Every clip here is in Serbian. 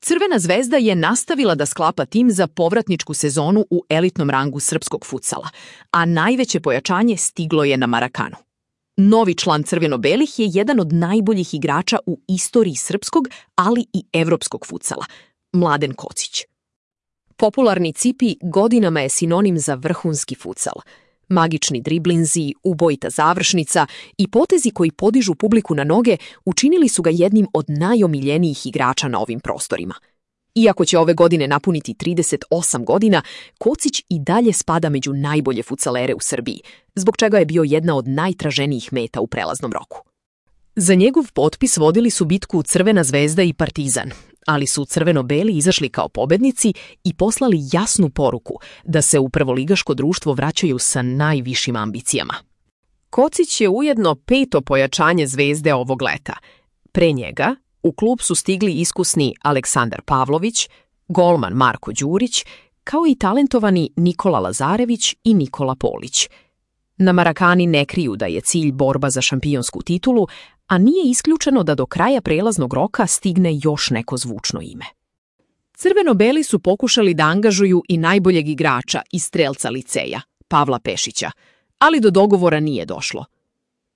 Crvena zvezda je nastavila da sklapa tim za povratničku sezonu u elitnom rangu srpskog futsala, a najveće pojačanje stiglo je na Marakanu. Novi član crveno-belih je jedan od najboljih igrača u istoriji srpskog, ali i evropskog futsala, Mladen Kocić. Popularni Cipi godinama je sinonim za vrhunski futsal. Magični driblinzi, ubojita završnica i potezi koji podižu publiku na noge učinili su ga jednim od najomiljenijih igrača na ovim prostorima. Iako će ove godine napuniti 38 godina, Kocić i dalje spada među najbolje futsalere u Srbiji, zbog čega je bio jedna od najtraženijih meta u prelaznom roku. Za njegov potpis vodili su bitku Crvena zvezda i Partizan, ali su crveno-beli izašli kao pobednici i poslali jasnu poruku da se u prvoligaško društvo vraćaju sa najvišim ambicijama. Kocić je ujedno 5. pojačanje Zvezde ovog leta. Pre njega u klub su stigli iskusni Aleksandar Pavlović, golman Marko Đurić, kao i talentovani Nikola Lazarević i Nikola Polić. Na Marakani ne kriju da je cilj borba za šampionsku titulu, a nije isključeno da do kraja prelaznog roka stigne još neko zvučno ime. Crveno-beli su pokušali da angažuju i najboljeg igrača i strelca liceja, Pavla Pešića, ali do dogovora nije došlo.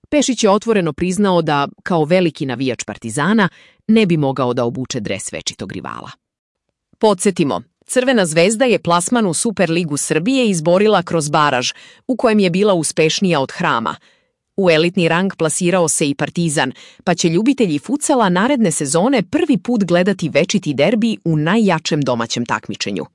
Pešić je otvoreno priznao da, kao veliki navijač Partizana, ne bi mogao da obuče dres večitog rivala. Podsjetimo, Crvena zvezda je plasman u Superligu Srbije izborila kroz baraž, u kojem je bila uspešnija od Hrama. U elitni rang plasirao se i Partizan, pa će ljubitelji futsala naredne sezone prvi put gledati večiti derbi u najjačem domaćem takmičenju.